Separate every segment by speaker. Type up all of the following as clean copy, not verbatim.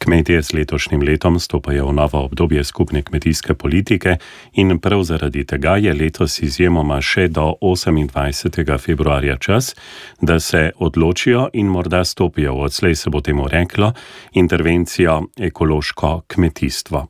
Speaker 1: Kmetje s letošnjim letom stopajo v novo obdobje skupne kmetijske politike in prav zaradi tega je letos izjemoma še do 28. februarja čas, da se odločijo in morda stopijo, odslej se bo temu reklo, intervencijo ekološko kmetijstvo.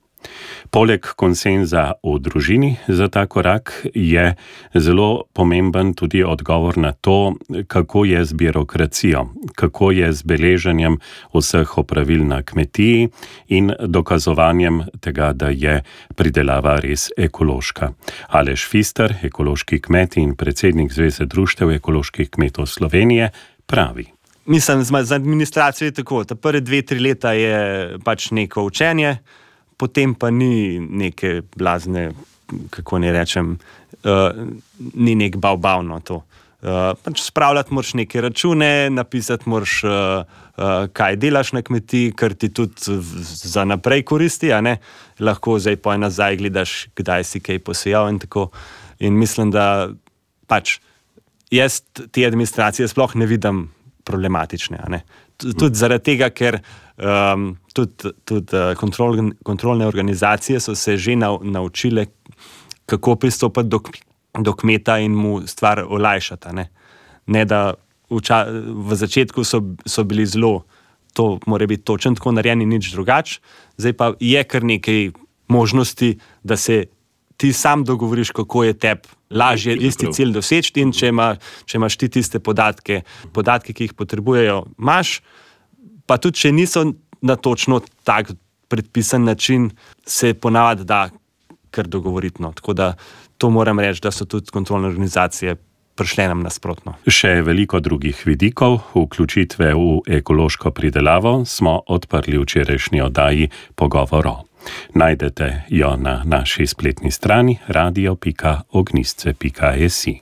Speaker 1: Poleg konsenza v družini za ta korak je zelo pomemben tudi odgovor na to, kako je z birokracijo, kako je z beleženjem vseh opravil na kmetiji in dokazovanjem tega, da je pridelava res ekološka. Aleš Fister, ekološki kmet in predsednik Zveze društev ekoloških kmetov Slovenije, pravi.
Speaker 2: Mislim, z administracijo je tako, ta prve 2-3 leta je pač neko učenje, potem pa ni neke blazne, kako ne rečem, ni nek bav-bavno to. Pač spravljati moraš neke račune, napisati moraš, kaj delaš na kmetiji, kar ti tudi za naprej koristi, a ne? Lahko zdaj pa nazaj gledaš, kdaj si kaj posejal in tako. In mislim, da pač jaz te administracije sploh ne vidim problematične, a ne? Tudi zaradi tega, ker tudi kontrolne organizacije so se že naučile, kako pristopati do kmeta in mu stvar olajšati. Ne da v začetku so bili zelo, to mora biti točno tako narejeni, nič drugače, zdaj pa je kar nekaj možnosti, da se ti sam dogovoriš, kako je tebi lažje isti cilj doseči in če imaš ti tiste podatke, ki jih potrebujejo, imaš, pa tudi če niso na točno tak predpisan način, se ponavadi da kar dogovoriti. Tako da to moram reči, da so tudi kontrolne organizacije prišle nam nasprotno.
Speaker 1: Še veliko drugih vidikov vključitve v ekološko pridelavo smo odprli včerajšnji oddaji Pogovorov. Najdete jo na naši spletni strani radio.ognistce.si.